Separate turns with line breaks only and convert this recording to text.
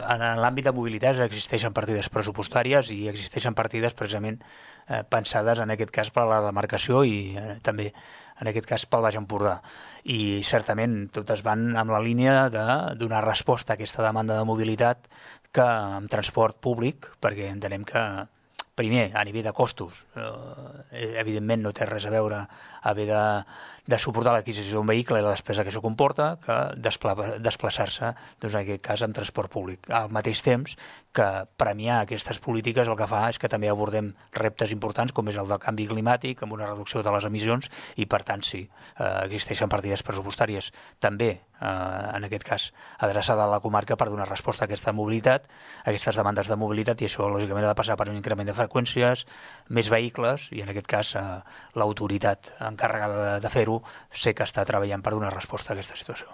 en l'àmbit de mobilitat existeixen partides pressupostàries i existeixen partides precisament pensades en aquest cas per a la demarcació i també en aquest cas pel Baix Empordà. I certament totes van amb la línia de donar resposta a aquesta demanda de mobilitat que amb transport públic, perquè entenem que primer, a nivell de costos, evidentment no té res a veure haver de suportar l'adquisició d'un vehicle i la despesa que això comporta que desplaçar-se, doncs en aquest cas, en transport públic. Al mateix temps que premiar aquestes polítiques el que fa és que també abordem reptes importants com és el del canvi climàtic, amb una reducció de les emissions i, per tant, sí, existeixen partides pressupostàries també, en aquest cas, adreçada a la comarca per donar resposta a aquesta mobilitat, a aquestes demandes de mobilitat, i això, lògicament, ha de passar per un increment de freqüències, més vehicles, i en aquest cas l'autoritat encarregada de fer-ho sé que està treballant per donar resposta a aquesta situació.